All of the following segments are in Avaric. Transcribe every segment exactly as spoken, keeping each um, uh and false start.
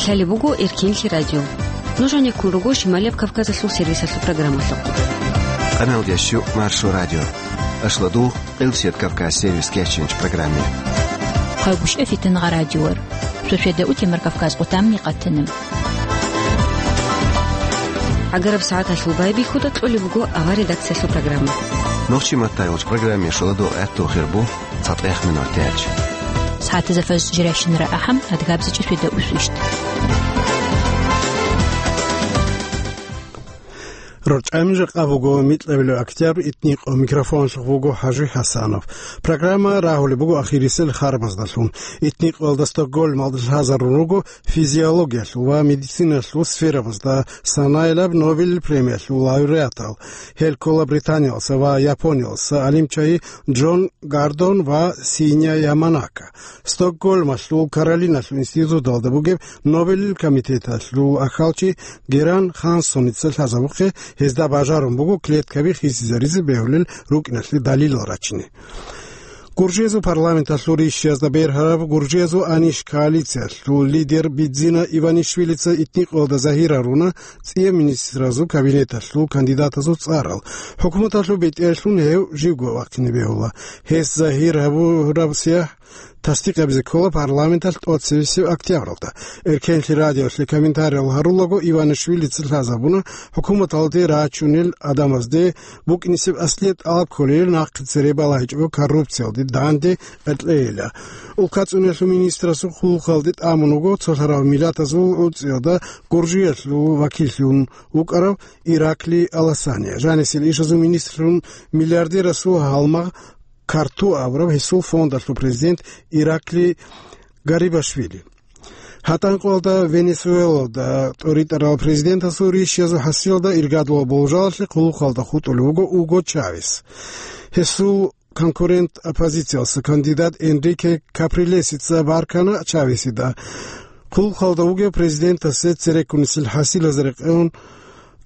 Лъалеб буго Эркенлъи радио. Нуж гьанеккун руго Шималияб Кавказалъул сервисалъул программалъухъ. Къаналдияс щук Маршо радио. Ашлодугъ, Къилсият Кавказ сервис кеченч программе. Хъайгуща фитангъа радиор. Шошеда утемар Кавказ къутамни къатана. Агараб сагӀаталъул байбихьуда кьолеб буго авар редакциялъул программа. Нохчи маттайгъуч программе шоладугъ гӀатту хирбу. ЦатӀех минутач. СагӀатазда фаз жирайщинара ахӀам, адгабзичӀи шведа усвищт. РорчӀами жакъа буго микьабилеб октябрь итникъо, микрофонлъухъ вуго ХӀажи ХӀасанов. Программа рагьулеб буго ахирисел харбаздалъун. Итникъоялда Стокгольмалда лъазарун руго физиологиялъул ва медициналъул сферабазда санаилаб Нобель премиялъул лауреатал. Гьел ккола Британиялса ва Япониялса гӀалимчагьи Джон Гордон ва Синя Яманака. Стокгольмалъул Каролиналъул институталда бугеб Нобелил комитеталъул ахьалчи Геран Хансоница лъазабухъе, гьезда бажарун буго клеткаби хисизаризе бегьулел рукӀиналъе далилал рачине. Гуржиязул парламенталъул ришиязда бергьараб Гуржиязул аниш коалициялъул лидер Бидзина Иванишвилица итникъоялда загьир гьаруна цӀияб министразул кабинеталъул кандидатазул цӀарал. ХӀукуматалъул бетӀерлъун гьев живго вахъине бегьула. Гьес загьир гьабураб сияхӀ тасдикъабизе ккола парламенталъ тӀоцебесеб октябралда. Эркенлъи радиолъе комментариял гьарулаго Иванишвилица лъазабуна хӀукуматалде рачунел гӀадамазде букӀинисеб аслияб тӀалаб кколел нахъе цере балагьичӀого коррупциялде данде кьеклъейила. УлкацӀуниялъул министрасул хъулухъалде тӀамун вуго цолъарав миллатазул гӀуцӀиялда Гуржиялъул вакиллъун вукӀарав Ираклий Аласания, жанисел ишазул министрлъун миллиардерасул гьалмагъ Карту абураб гьесул фондалъул президент Ираклий Гарибашвили. ГьатӀанкъоялда Венесуэлада тӀоритӀарал президентасул ришиязул хӀасилалда иргадулаб болжалалъе хъулухъалда хутӀулев вуго Уго Чавес. Гьесул конкурент оппозициялъа кандидат Энрике Каприлесица баркана Чавесида. Хъулухъалда вугев президентасе цереккунисел хӀасилазда рекъон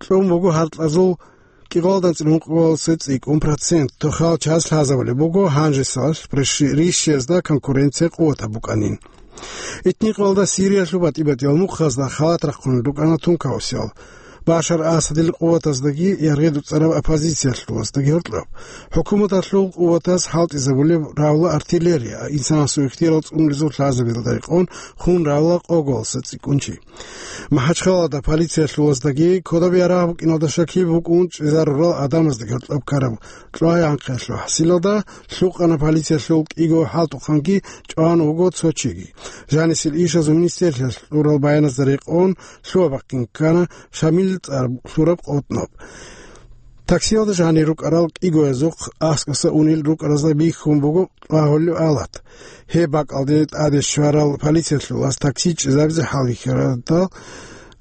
кьун буго гьаркьазул кӀикъоялда анцӀила ункъоялдаса цӀикӀкӀун процент. Тохал час лъазабулеб буго гьанжесалъ прищи-, рищиязда конкуренция къуватаб букӀанин. Итникъоялда Сириялъул батӀи-батӀиял мухъазда халат рахъун рукӀана тункаусиял. Башар Асадил къуватаздаги яргъи дуцӀараб оппозициялъулаздаги гьоркьоб. ХӀукуматалъул къуватаз хӀалтӀизабулеб равла артиллерия, инсанасул ихтияр цӀунулезул лъазабилда рекъон хун равла къоголаса цӀикӀкӀун чи. МахӀачхалада полициялъулаздаги кодаб ярагъ букӀиналда щакил букӀун чӀезарурал гӀадамаздаги гьоркьоб ккараб кьвагӀи анхъиялъул хӀасилалда лъукъана полициялъул кӀиго хӀалтӀухъанги чӀван вуго цо чиги. Жанисел ишазул министерствоялъ кьурал баяназда рекъон лъугьа-бахъин ккана Шамил цӀар лъураб къотӀноб. Таксиялда жанир рукӀарал кӀигоязухъ аскӀоса унел рукӀаразда бихьун буго кьвагьулев алат. Гьеб бакӀалде тӀаде щварал полициялъулас такси чӀезабизе хӀалбихьарадал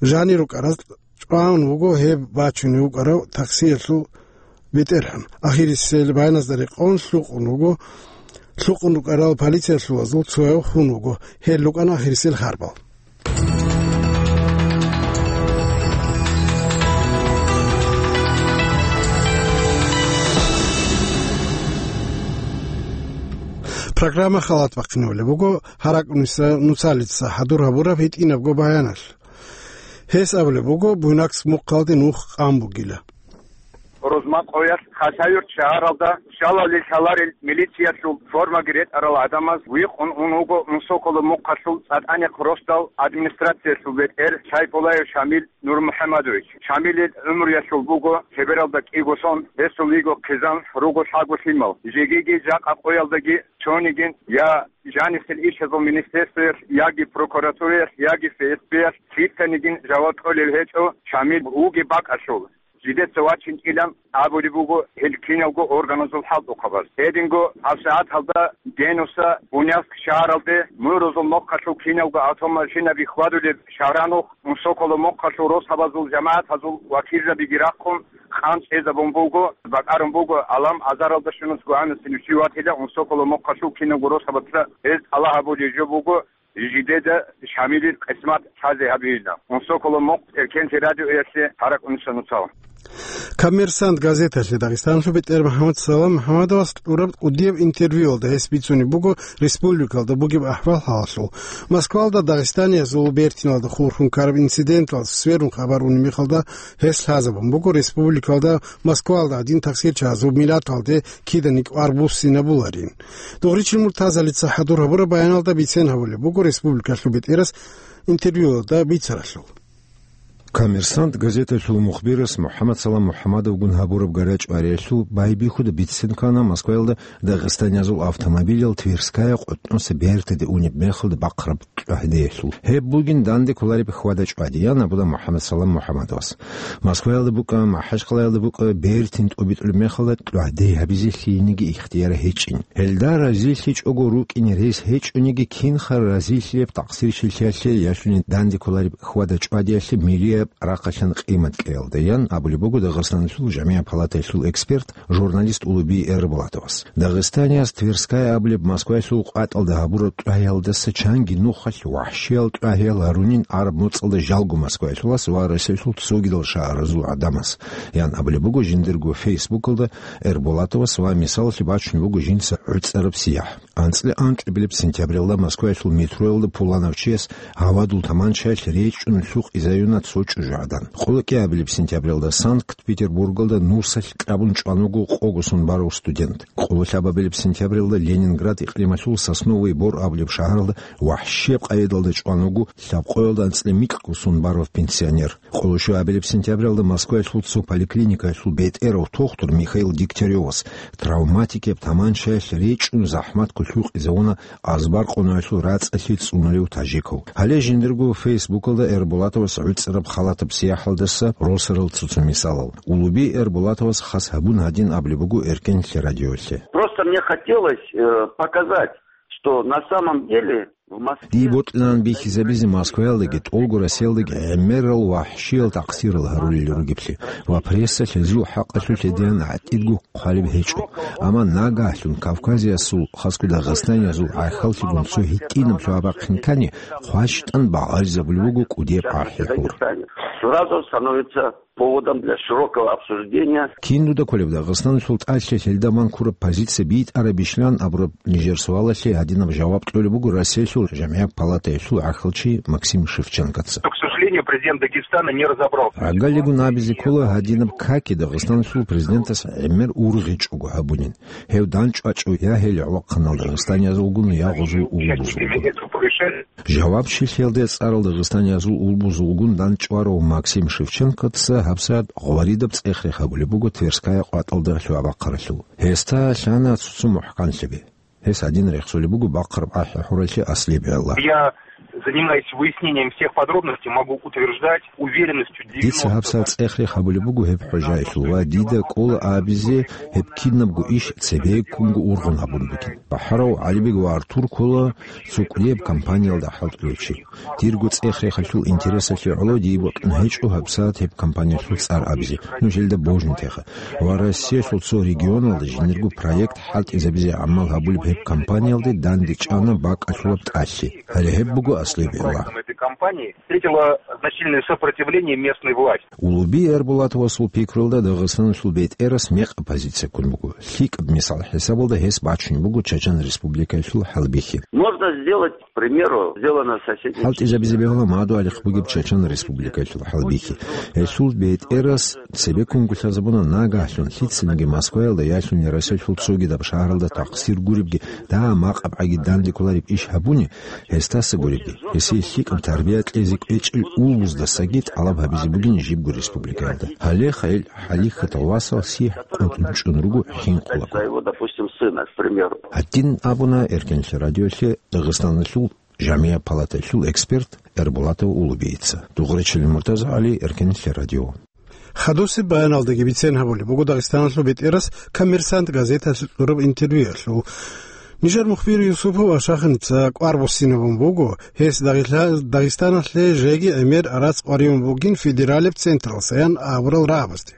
жанир рукӀараз чӀван вуго гьеб бачунев вукӀарав таксиялъул бетӀергьан. Ахирисел баяназда рекъон лъукъун вуго, лъукъун рукӀарал полициялъулазул цояв хун вуго. Гьел рукӀана ахирисел харбал. Программа халат бахъинабулеб буго ГьаракӀуниса Нуцалица хӀадур гьабураб гьитӀинабго баяналъ. Гьес абулеб буго, Буйнакск мухъалде нух къан бугила. Рузмакъоялъ Хасавюрт шагьаралда щалали лъаларел милициялъул формаги ретӀарал гӀадамаз вихъун ун вуго Унсоколо мухъалъул ЦӀатӀанихъ росдал администрациялъул бетӀер Сайпулаев Шамил Нурмухьамадович. Шамилил гӀумруялъул буго лъебералда кӀиго сон, гьесул йиго хъизан, руго лъаго лъимал. Жегиги жакъа къоялдаги цонигин я жанисел ишазул министерствоялъ, яги прокуратураялъ, яги Ф С Б-ялъ лъицанигин жаваб кьолел гьечӀо Шамил вугеб бакӀалъул. Жидеца вачинчӀилан абулеб буго гьел киналго органазул хӀалтӀухъабаз. Гьединго гьабсагӀат гьалда Генуса Буйнакск шагьаралде мурузул мухъалъул киналго автомашинаби хьвадулеб шагьранухъ Унсоколо мухъалъул росабазул жамагӀатазул вакилзабиги рахъун, къан чӀезабун буго, бакӀарун буго, Алам азаралда щунус гугьанасин вичи ватила Унсоколо мухъалъул киналго росабаца гьез тӀалаб гьабулеб жо буго, жидеда Шамилил къисмат лъазе гьабейилан. Унсоколо мухъ Эркенлъи радиоялъе ГьаракӀуниса Нуцал. «Коммерсант» газеталъе Дагъистаналъул бетӀер МухӀаммад Салам МухӀаммадовас кьураб кӀудияб интервьюялда гьес бицунеб буго республикалда бугеб ахӀвал-хӀалалъул. Москвалда дагъистаниязул бертиналда хурхун ккараб инциденталъ сверун хабар унеб мехалда гьес лъазабун буго республикалда Москвалда гьадин такъсирчагӀазул миллаталде киданиги кӀвар буссинабуларин. Дугъричил Муртазалица хӀадур гьабураб баяналда бицен гьабулеб буго республикалъул бетӀерас интервьюялда бицаралъул. «Коммерсант» газеталъул мухбирас МухӀаммад Салам МухӀаммадовгун гьабураб гарачӀ-вариялъул байбихьуда бицен ккана Москваялда дагъистаниязул автомобилал Тверская къотӀноса бертиде унеб мехалда бахъараб кьвагьдеялъул. Гьеб бугин данде кколареб хьвада-чӀвади, ян абула МухӀаммад Салам МухӀаммадовас. Москваялда букӀа, МахӀачкъалаялда букӀа бертин тӀубитӀулеб мехалда кьвагьде гьабизе лъиениги ихтияр гьечӀин. Гьелда разилъичӀого рукӀине рес гьечӀониги, кинха разилъияб такъсирщилъиялъе ящуни данде кколареб хьвада-чӀвадиялъе милияб рахъалъан къимат кьеялда, ян абулеб буго Дагъистаналъул жамигӀат палатаялъул эксперт, журналист Улуби Эрбулатовас. Дагъистанияс Тверская абулеб Москваялъул къватӀалда гьабураб кьвагьиялдаса чанги нухалъ вахӀщиял кьвагьиял гьарунин араб моцӀалда жалго Москваялъулас ва Россиялъул цогидал шагьаразул гӀадамас, ян абулеб буго жиндирго фейсбукалда Эрбулатовас ва мисалалъе бачун буго жинца гӀуцӀараб сияхӀ. АнцӀила анкьабилеб сентябралда Москваялъул метроялда пуланав чияс гьавадул таманчаялъ речӀчӀун лъукъизаюна цо чӀужугӀадан. Къоло кӀиабилеб сентябралда Санкт-Петербургалда нусалъ кьабун чӀван вуго къого сон барав студент. Къоло лъабабилеб сентябралда Ленинград икълималъул Сосновый Бор абулеб шагьаралда вахӀщияб къайдалда чӀван вуго лъабкъоялда анцӀила микьго сон барав пенсионер. Къоло щуабилеб сентябралда Москваялъул цо поликлиникаялъул бетӀерав тухтур Михаил Дегтяревас травматикияб таманчаялъ речӀчӀун захӀматго лъукъизавуна азбар къоноялъул рацӀцӀалъи цӀунулев тажикав. Гьале жиндирго фейсбукалда Эрбулатовас гӀуцӀараб халатаб сияхӀалдаса росарал цо-цо мисалал. Улуби Эрбулатовас хас гьабун гьадин абулеб буго Эркенлъи радиолъе. Просто мне хотелось, э, показать, что на самом деле в Москве... Дие бокьилаан бихьизабизе Москваялдаги тӀолго Россиялдаги гӀемерал вахӀщиял такъсирал гьарулел ругеблъи ва прессалъ гьезул хӀакъалъулъ гьедигӀан гӀатӀидго хъвалеб гьечӀо. Амма нагагьлъун Кавказиясул, хасго Дагъистаниязул гӀахьаллъигун цо гьитӀинаб лъугьа-бахъин ккани, хъващтӀан багъаризабулеб буго кӀудияб ахӀи-хӀур. Сразу становится поводом для широкого обсуждения. Кин дуда кколеб Дагъистаналъул тӀалъи лъелдаман ккураб позиция битӀарабищилан абураб нижер суалалъе гьадинаб жаваб кьолеб буго Россиялъул жамигӀат палатаялъул гӀахьалчи Максим Шевченкоца. К сожалению, президент Дагестана не разобрался. ГӀагаллигун абизе ккола гьадинаб каки Дагъистаналъул президентас гӀемер ургъичӀого гьабунин. Гьев данчӀвачӀо я гьел гӀолохъанал дагъистаниязулгун, я гъозул улбузулгун. Жаваб щилъиялде цӀарал дагъистаниязул улбузулгун данчӀварав Максим Шевченкоца гьабсагӀат гъваридаб цӀех-рех гьабулеб буго Тверская къватӀалда лъугьа-бахъаралъул. Гьесда лъана цо-цо мухӀканлъиги. Гьес гьадин рехсолеб буго бахъараб ахӀи-хӀуралъе аслияб гӀелла. Я занимаюсь выяснением всех подробностей, могу утверждать уверенностью девяносто... Дица гьабсагӀат цӀех-рех гьабулеб буго гьеб хӀужаялъул ва дида кӀола абизе гьеб кинабго иш цебеккунго ургъун гьабун бугин. БахӀарав ГӀалибег ва Артур ккола цо кӀудияб компаниялда хӀалтӀулев чи. Дирго цӀех-рехалъул интересалъе гӀоло дие бокьун гьечӀо гьабсагӀат гьеб компаниялъул цӀар абизе, нуж гьелда божун теха. Ва Россиялъул цо регионалда жиндирго проект хӀалтӀизабизе гӀамал гьабулеб гьеб компаниялде данде чӀана бакӀалъулаб тӀалъи. Гьале гьеб буго аслияб гӀелла. Этой компании встретила значительное сопротивление местной власти. Улуби Эрбулатовасул пикруялда Дагъистаналъул бетӀерас мекъаб позиция ккун буго. ЛъикӀаб мисал хӀисабалда гьес бачун буго Чачан Республикаялъул хӀалбихьи. Можно сделать, к примеру, сделано в соседней... ХӀалтӀизабизе бегьула мадугьалихъ бугеб Чачан Республикаялъул хӀалбихьи. Гьелъул бетӀерас цебеккунго лъазабуна нагагьлъун лъицаниги Москваялда ящуни Россиялъул цогидаб шагьаралда такъсир гуребги, дагьа макъабгӀаги данде кколареб иш гьабуни, гьесдаса гуребги, гьесие лъикӀаб тарбия кьезе кӀвечӀел улбуздасаги тӀалаб гьабизе бугин жибго республикаялда. Гьале хъайил хӀалихьатал васал сихӀ къотӀун чӀун руго хӀинкъулаго. Своего, допустим, сына, к примеру. Гьадин абуна Эркенлъи радиолъе Дагъистаналъул жамигӀат палатаялъул эксперт Эрбулатов Улубийица. Дугъречилин Муртазагьали, Эркенлъи радио. Хадусеб баяналдаги бицен гьабулеб буго Дагъистаналъул бетӀерас «Коммерсант» газеталъе кьураб интервьюялъул. Нижер мухбир Юсупов Ашаханица кӀвар буссинабун буго, гьес Дагъила-, Дагъистаналъе жеги гӀемер рацӀцӀалъун бугин федералеб централдасан абурал рагӀабазде.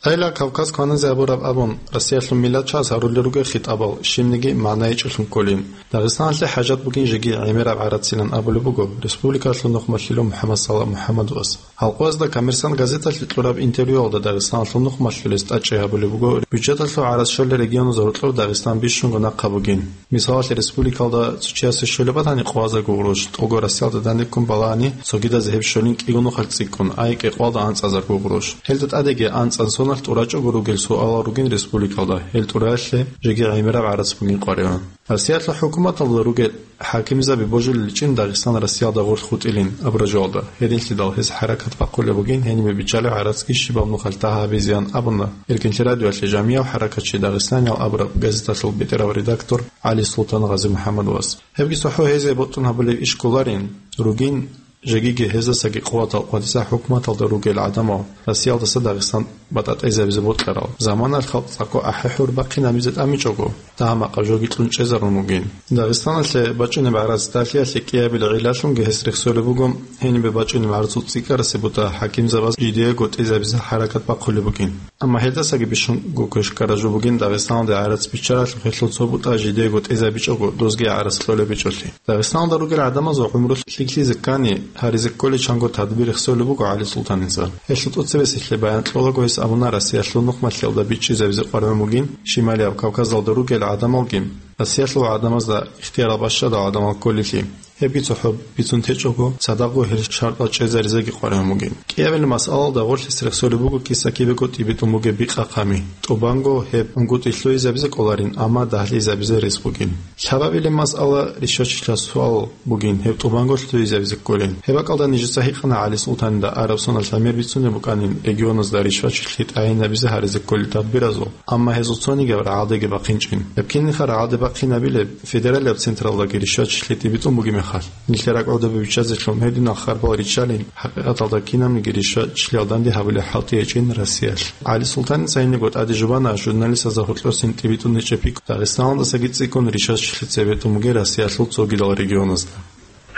Дайла Кавказ кваназе абураб абун, Россиялъул миллатчияс гьарулел ругел хитӀабал щибниги магӀна гьечӀолъун кколин. Дагъистаналъе хӀажат бугин жеги гӀемераб гӀарацилан абулеб буго республикалъул нухмалъулев МухӀаммад Салагь МухӀаммадовас. Гьалкъоязда «Коммерсант» газеталъе кьураб интервьюялда дагъистаналъул нухмалъулес тӀадчӀей гьабулеб буго, бюджеталъул гӀарацлъолел регионазда гьоркьор Дагъистан бищунго нахъа бугин. Мисалалъе, республикалда цо чиясе щолеб батани къвазарго гъурущ, тӀолго Россиялда данде ккун балагьани, цогидазе гьеб щолин кӀиго нухалъ цӀикӀкӀун, ай кӀикъвалда анцӀазарго гъурущ. Гьелда тӀадеги анцӀан соналъ тӀурачӀого ругел суалал ругин республикалда, гьел тӀураялъе жеги гӀемераб гӀарац бугин къваригӀун. Россиялъул хӀукуматалда ругел хӀакимзаби божулел чӀин Дагъистан Россиялда гъорлъ хутӀилин абураб жоялда, гьединлъидал гьез хӀаракат бахъулеб бугин гьенибе биччалеб гӀарацги щибаб нухалъ дагьа гьабизеян абуна Иркинлъи радиоялъе жамияв хӀаракатчи, Дагъистан ял абураб газеталъул бетӀерав редактор ГӀали Султан Гъази МухӀаммадовас. Гьебги цохӀо гьезие бокьун гьабулеб иш кколарин, ругин жегиги гьездасаги къуватал къватӀиса хӀукуматалда ругел гӀадамал Россиялдаса Дагъистан батӀа-тӀезабизе бокьарал. Заманалъ халкъ цӀакъго ахӀи-хӀур бахъинабизе тӀамичӀого, дагьа-макъаб жоги кьун чӀезарун бугин. Дагъистаналъе бачӀунеб гӀарац дагьлъиялъе кӀиабилеб гӀиллалъунги гьес рехсолеб буго, гьенибе бачӀунеб гӀарцул цӀикӀкӀарасе бутӀа хӀакимзабаз жидеего тӀезабизе хӀаракат бахъулеб бугин. Амма гьелдасаги бищунго квешкара жо бугин Дагъистаналде гӀарац биччаралъухъ гьелъул цо бутӀа жидеего тӀезабичӀого, дозги гӀарац кьолеб гьечӀолъи. Дагъистаналда ругел гӀадамазул гӀумру лъикӀлъизе ккани, гьаризе кколей чанго тадбир рехсолеб буго ГӀали Султаница. Гьелъул тӀоцебесеб баян кьолаго гьес абуна Россиялъул нухмалъиялда бичӀчӀизабизе къваригӀун бугин, Шималияб Кавказалда ругел гӀадамалги, Россиялъул гӀадамазда ихтиярал бащадал гӀадамал кколелъи. Гьебги цохӀо бицун течӀого, цадахъго гьел шартӀал чӀезаризеги къваригӀун бугин. КӀиабилеб масъалалда гъорлъ гьес рехсолеб буго киса-кибего тӀибитӀун бугеб бикъахъами. ТӀубанго гьеб унгутӀи лъугьизабизе кколарин, амма дагьлъизабизе рес бугин. Лъабабилеб масъала, ришвачилъа суал бугин, гьеб тӀубанго лъугьизабизе кколин. Гьеб бакӀалда нижеца гьикъана ГӀали Султанида араб соналъ гьамер бицунеб букӀанин регионазда ришвачилъи тӀагӀинабизе гьаризе кколел тадбиразул, амма гьезул цонигияв рагӀалдеги бахъинчӀин. Гьеб кинниха рагӀалде бахъинабилеб федералияб централдаги ришвачилъи тӀибитӀун бугеб мехалъ. Нилъер ракӀалдаби биччазелъун гьединал харбал риччалин, хӀакъикъаталда кинабниги ришвачилъиялда данде гьабулеб хӀалтӀи гьечӀин Россиялъ. ГӀали Султаница гьенибго тӀаде жубана журналистазда гьоркьосин тӀибитӀун гьечӀеб пикру Дагъистаналдасаги цӀикӀкӀун ришвачилъи цебетӀун бугеб Россиялъул цогидал регионазда.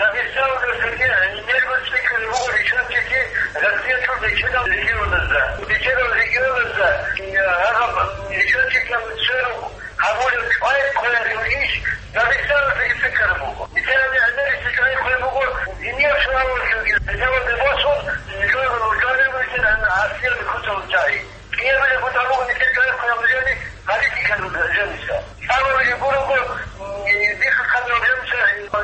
Дагъистаналдасаги гьенибго цӀикӀкӀун буго ришвачилъи Россиялъул бечедал регионазда. Бечедал регионазда, э, гьаб ришвачилъи церу гьабулеб чӀвай хъвеялъул иш Дагъистаналдасаги цӀикӀкӀараб буго. Нилъер гьанир гӀемерисеб чӀвай хъвей буго, диниял суалалъулги, гьезда босун, жо-, жо-, жо-, Россиялде куцалъул чагӀи. КӀиабилеб бутӀа буго нилъер чӀвай хъвеялъул жаниб политикалъул жаниса. КӀиабилеб гурого, м, бихъ-хъвеялъул жаниса,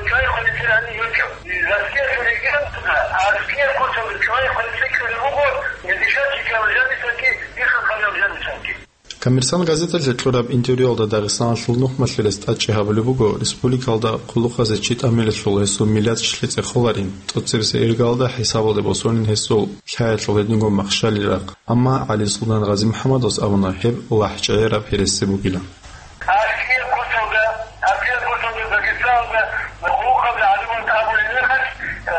чӀвай хъвей нилъер гьанир гьечӀо. Россиялъул регионазда, Россиялъул куцалъул чӀвай хъвей цӀикӀкӀараб буго, дишал чӀикӀалъул жанисаги бихъ-хъвеялъул жанисаги. «Коммерсант» газеталъе кьураб интервьюялда Дагъистаналъул нухмалъулес тӀадчӀей гьабулеб буго, республикалда хъулухъазе чи тӀамилелъул гьесул миллатчилъи цӀехоларин, тӀоцебесеб иргалда хӀисабалде босунин гьесул лъаялъул гьединго махщалил рахъ. Амма ГӀали Султан Гъази МухӀаммадовас абуна, гьеб лахӀчӀегӀераб гьереси бугилан. Аскияр куцалда, аскияр куцалда Дагъистаналда хъулухъазе гӀадамал абулеб мехалъ,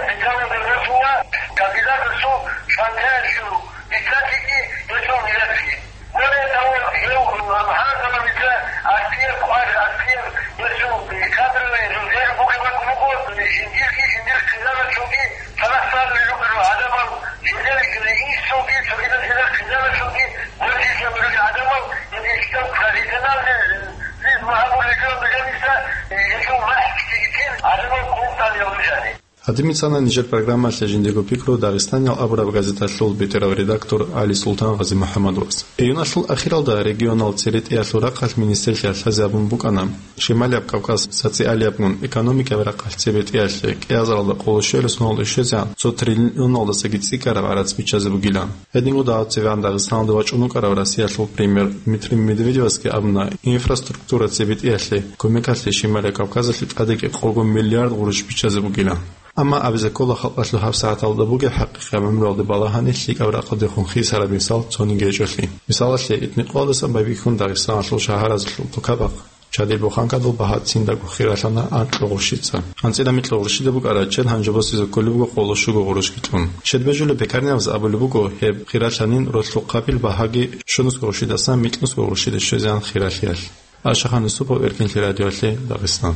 хӀисабалде босуна кандидатасул шантаялъул бицатиги гьесул миллатги. Более того, гьев гьанкъалабица аскияр кӀвар, аскияр гьесул кадровый резерв бугеб бакӀ буго, жиндирги, жиндир хъизаналъулги цадахъ цӀалулел ругел гӀадамал, жиндир инсулги, цогидал жиндир хъизаналъулги, гьоркьоса ругел гӀадамал, жиндир профессиональный, э, лиз магьабулел жо бегьаниса, э, гьесул махӀ ккеги тел гӀадамал хъулухъ тӀамиялде жаниб. Гьадин бицана нижер программалъе жиндирго пикру Дагъистаниял абураб газеталъул бетӀерав редактор ГӀали Султан Гъази МухӀаммадовас. Июналъул ахиралда регионал церетӀиялъул рахъалъ министрлъиялъ лъазе абун букӀана, Шималияб Кавказ социалиябгун экономикаяб рахъалъ цебетӀиялъе кӀиазаралда къоло щуялъ соналда щвезегӀан цо триллионалдасаги цӀикӀкӀараб гӀарац биччазе бугилан. Гьединго дагьаб цевегӀан Дагъистаналде вачӀун вукӀарав Россиялъул премьер Дмитрий Медведевасги абуна, инфраструктура цебетӀиялъе кумекалъе Шималияб Кавказалъе тӀадеги къого миллиард гъурущ биччазе бугилан. Амма абизе ккола халкъалъул гьабсагӀаталда бугеб хӀакъикъияб гӀумруялде балагьани лъикӀаб рахъалдехун хисараб мисал цониги гьечӀолъи. Мисалалъе, итникъоялдасан байбихьун Дагъистаналъул шагьаразулъул тукабахъ чадил буханкадул багьа циндаго хиралъана анкьго гъурщица. АнцӀила микьго гъурщида букӀараб чед гьанже босизе кколеб буго къоло щуго гъурущги кьун. Чед бежулеб пекарняваз абулеб буго, гьеб хиралъанин ролъухъабил багьаги щунусго гъурщидасан микьнусго гъурщиде щвезегӀан хиралъиялъ. Ашахан Юсупов, Эркинлъи радиоялъе, Дагъистан.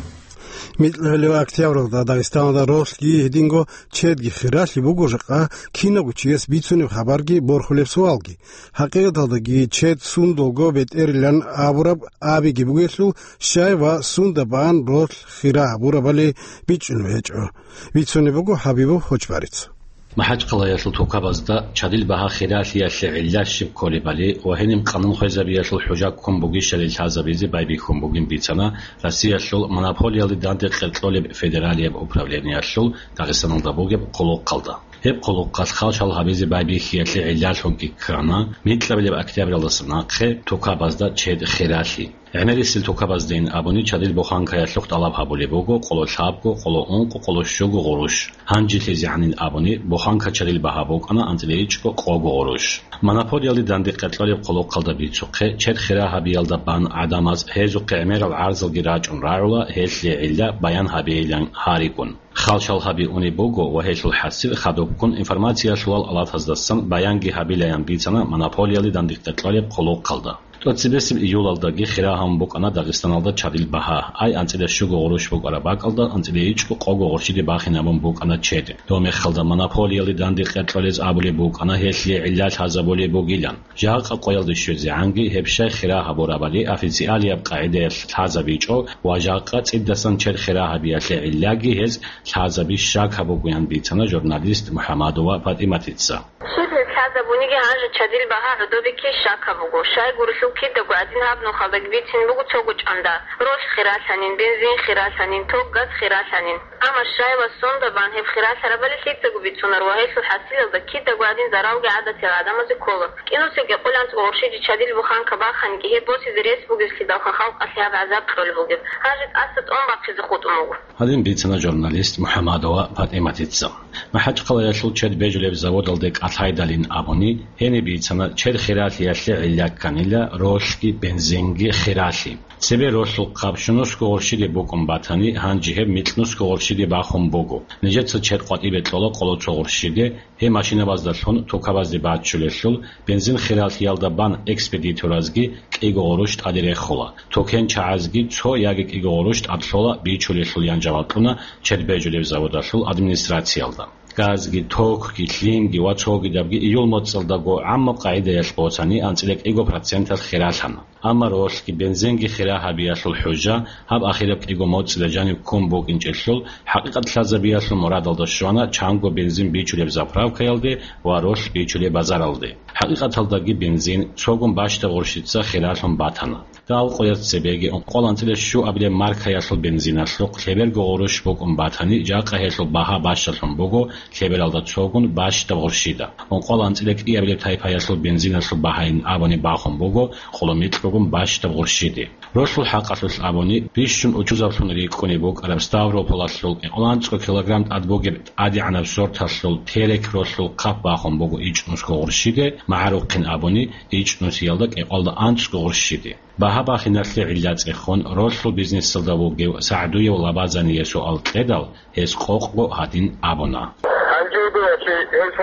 Микьгьалев октябралда Дагъистаналда ролъги гьединго чедги хиралъи буго жакъа кинавго чияс бицунеб хабарги борхулеб суалги. ХӀакъикъаталдаги чед сундулго бетӀерилан абураб абиги бугелъул, щай ва сунда бан ролъ хира гьабурабали бичӀчӀунеб гьечӀо. Бицунеб буго ХӀабибов Хочбарица. МахӀачхъалаялъул тукабазда чадил багьа хиралъиялъе гӀилла щиб кколебали ва гьениб къанун хвезабиялъул хӀужа ккун бугищали лъазабизе байбихьун бугин бицана Россиялъул монополиялде данде къеркьолеб федералияб управлениялъул Дагъистаналда бугеб хъулухъалда. Гьеб хъулухъалъ хал-шал гьабизе байбихьиялъе гӀиллалъунги ккана микьабилеб октябралдаса нахъе тукабазда чед хиралъи. ГӀемерисел тукабаздейин абуни чадил буханкаялъухъ тӀалаб гьабулеб буго къоло лъабго, къоло ункъо, къоло щуго гъурущ. ГьанжелъизегӀанин абуни буханка чадил багьа букӀана анцӀила ичӀго къого гъурущ. Монополиялде данде къеркьолеб хъулухъалда бицухъе, чед хира гьабиялда бан гӀадамаз гьезухъе гӀемерал гӀарзалги рачӀун рагӀула, гьелъие гӀилла баян гьабейилан гьарикӀун. Хал-шал гьаби унеб буго ва гьелъул хӀасил хадубккун информациялъулал алатаздасан баянги гьабилаян бицана монополиялде данде къеркьолеб хъулухъалда. ТӀоцебесеб июлалдаги хира гьабун букӀана Дагъистаналда чадил багьа. Ай анцӀила щуго гъурущ букӀараб бакӀалда анцӀила ичӀго къого гъурщиде бахинабун букӀана чед. Доб мехалда монополиялде данде къеркьолез абулеб букӀана гьелъие гӀилла лъазабулеб бугилан. Жакъа къоялде щвезегӀанги гьеб щай хира гьабурабали официалияб къагӀидаялъ лъазабичӀо ва жакъа цӀидасан чед хира гьабиялъе гӀиллаги гьез лъазаби щакаб бугоян бицана журналист МухӀамадова ПатӀиматица. Щиб гьез лъазабуниги гьанже чадил багьа гӀодобе ккей щакаб буго. Щайгурелъул кидаго гӀадин гьаб нухалдаги бицин буго цого чӀанда. Ролъ хиралъанин, бензин хиралъанин, ток, газ хиралъанин. Амма щай ва сунда бан гьеб хиралъарабали лъицаго бицунар ва гьелъул хӀасилалда кидаго гӀадин заралги гӀадатиял гӀадамазе ккола. КӀинусел кӀикъоялда анцӀго гъурщиде чадил буханка баханиги гьеб босизе рес бугеблъидалха халкъалъе гьаб гӀазаб кьолеб бугеб. Гьанже тӀаса тӀун бахъизе хутӀун буго. Гьадин бицана журналист МухӀамадова ПатӀиматица. МахӀачхъалаялъул чед бежулеб заводалде кӀалъайдалин абуни, гьениб бицана чед хиралъиялъе гӀилла кканила ролъги бензинги хиралъи. Цебе ролъул хъаб щунусго гъурщиде букӀун батани, гьанже гьеб микьнусго гъурщиде бахун буго. Нижеца чед къватӀибе кьола къоло цо гъурщиде, гьеб машинабаздалъун тукабазде баччулелъул, бензин хиралъиялда бан экспедиторазги кӀиго гъурущ тӀаде рехула, тукенчагӀазги цо яги кӀиго гъурущ тӀад лъола бичулелъул, ян жаваб кьуна чед бежулеб заводалъул администрациялда. Газги, токги, лъимги ва цогидабги июл моцӀалдаго гӀаммаб къагӀидаялъ боцани анцӀила кӀиго проценталъ хиралъана. Амма ролъги бензинги хира гьабиялъул хӀужа гьаб ахираб кӀиго моцӀила жанив ккун букӀинчӀелъул, хӀакъикъат лъазабиялъул мурадалда щвана чанго бензин бичулеб заправкаялде ва ролъ бичулеб базаралде. ХӀакъикъаталдаги бензин цогун бащдаб гъурщица хиралъун батана. Дагьал къоялъ цебеги ункъоялда анцӀила щуабилеб маркаялъул бензиналъухъ лъеберго гъурущ букӀун батани, жакъа гьелъул багьа бащдалъун буго лъебералда цогун бащдаб гъурщида. Ункъоялда анцӀила кӀиабилеб тайпаялъул бензиналъул багьайин абуни бахун буго къоло микьгун бащдаб гъурщиде. Ролъул хӀакъалъулъ абуни, бищун учузаблъун рикӀкӀунеб букӀараб Ставрополалъул кӀикъоялда анцӀго килограмм тӀад бугеб тӀадегӀанаб сорталъул терек ролъул хъаб бахун буго ичӀнусго гъурщиде, магӀарухъин абуни, ичӀнусиялда кӀикъоялда анцӀго гъурщиде. Багьа бахиналъе гӀилла цӀехун, ролъул бизнесалда вугев СагӀдуев Лабазание суал кьедал, гьес къокъго гьадин абуна. Гьанже гьев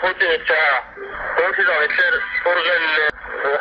Путиница, Путинал нилъер ургъел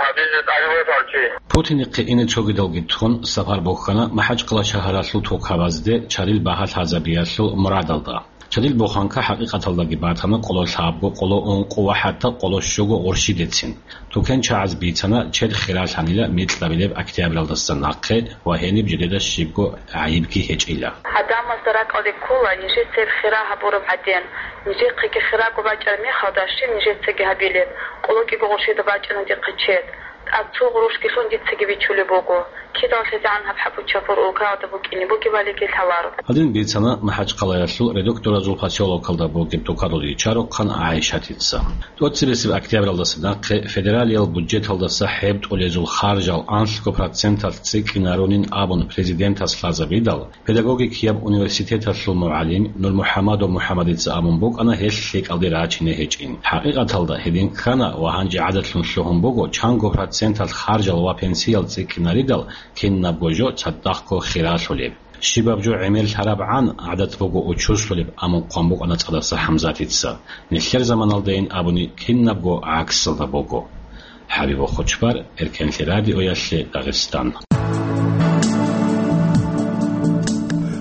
гьабизе тӀадбосанчи. Путинихъе ине цогидалги тун сапар бухьана МахӀачхъала шагьаралъул тукабазде чадил багьа лъазабиялъул мурадалда. Чадил буханка хӀакъикъаталдаги батана къоло лъабго, къоло ункъо ва хӀатта къоло щуго гъурщидецин. ТукенчагӀаз бицана чед хиралъанила микьабилеб октябралдаса нахъе ва гьениб жидеда щибго гӀайибги гьечӀила. Гьадамазда ракӀалде ккола нижеца гьеб хира гьабураб гӀадин. Нижехъеги хираго бачӀараб мехалда щиб нижецаги гьабилеб? Къоло кӀиго гъурщида бачӀана дихъе чед. ТӀад цо гъурущги лъун дицаги бичулеб буго. Кидал лъезегӀан гьаб хӀапу-чапур улкаялда букӀине бугебалиги лъаларо. Гьадин бицана МахӀачхъалаялъул Редукторазул посёлокалда бугеб тукадул ричарухъан ГӀайшатица. ТӀоцебесеб октябралдаса нахъе федералиял бюджеталдаса хӀеб тӀолезул харжал анлъго проценталъ цӀикӀкӀинарунин абун президентас лъазабидал, педагогикияб университеталъул мугӀалим Нурмухьамадов МухӀамадица абун букӀана гьелъ лъикӀалде рачине гьечӀин. ХӀакъикъаталда гьедин ккана ва гьанже гӀадатлъун лъугьун буго чанго проценталъ харжал ва пенсиял цӀикӀкӀинаридал кинабго жо цадахъго хиралъулеб. Щибаб жо гӀемер лъарабгӀан гӀадат буго учуслъулеб, амма хъван букӀана ЦӀадаса ХӀамзатица. Нилъер заманалдайин абуни кинабго гӀаксалда буго. ХӀабиб Хучбар, Эркенлъи радиоялъе, Дагъистан.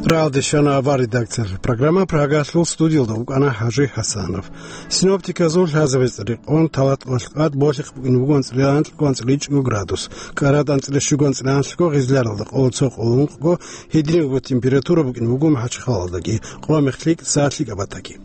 Ралдешана авар редакциялъул программа Прагалъул студиялда вукӀана ХӀажи ХӀасанов. Синоптиказул лъазабица рекъон талат къолъкъад болъихъ букӀин буго анцӀила анкьго анцӀила ичӀго градус, кӀарад анцӀила щуго анцӀила анлъго, гъизларалда къоло цо къоло ункъго, гьединго температура букӀин буго МахӀачхъалалдаги, къо-мех лъикӀ са лъикӀабатаги.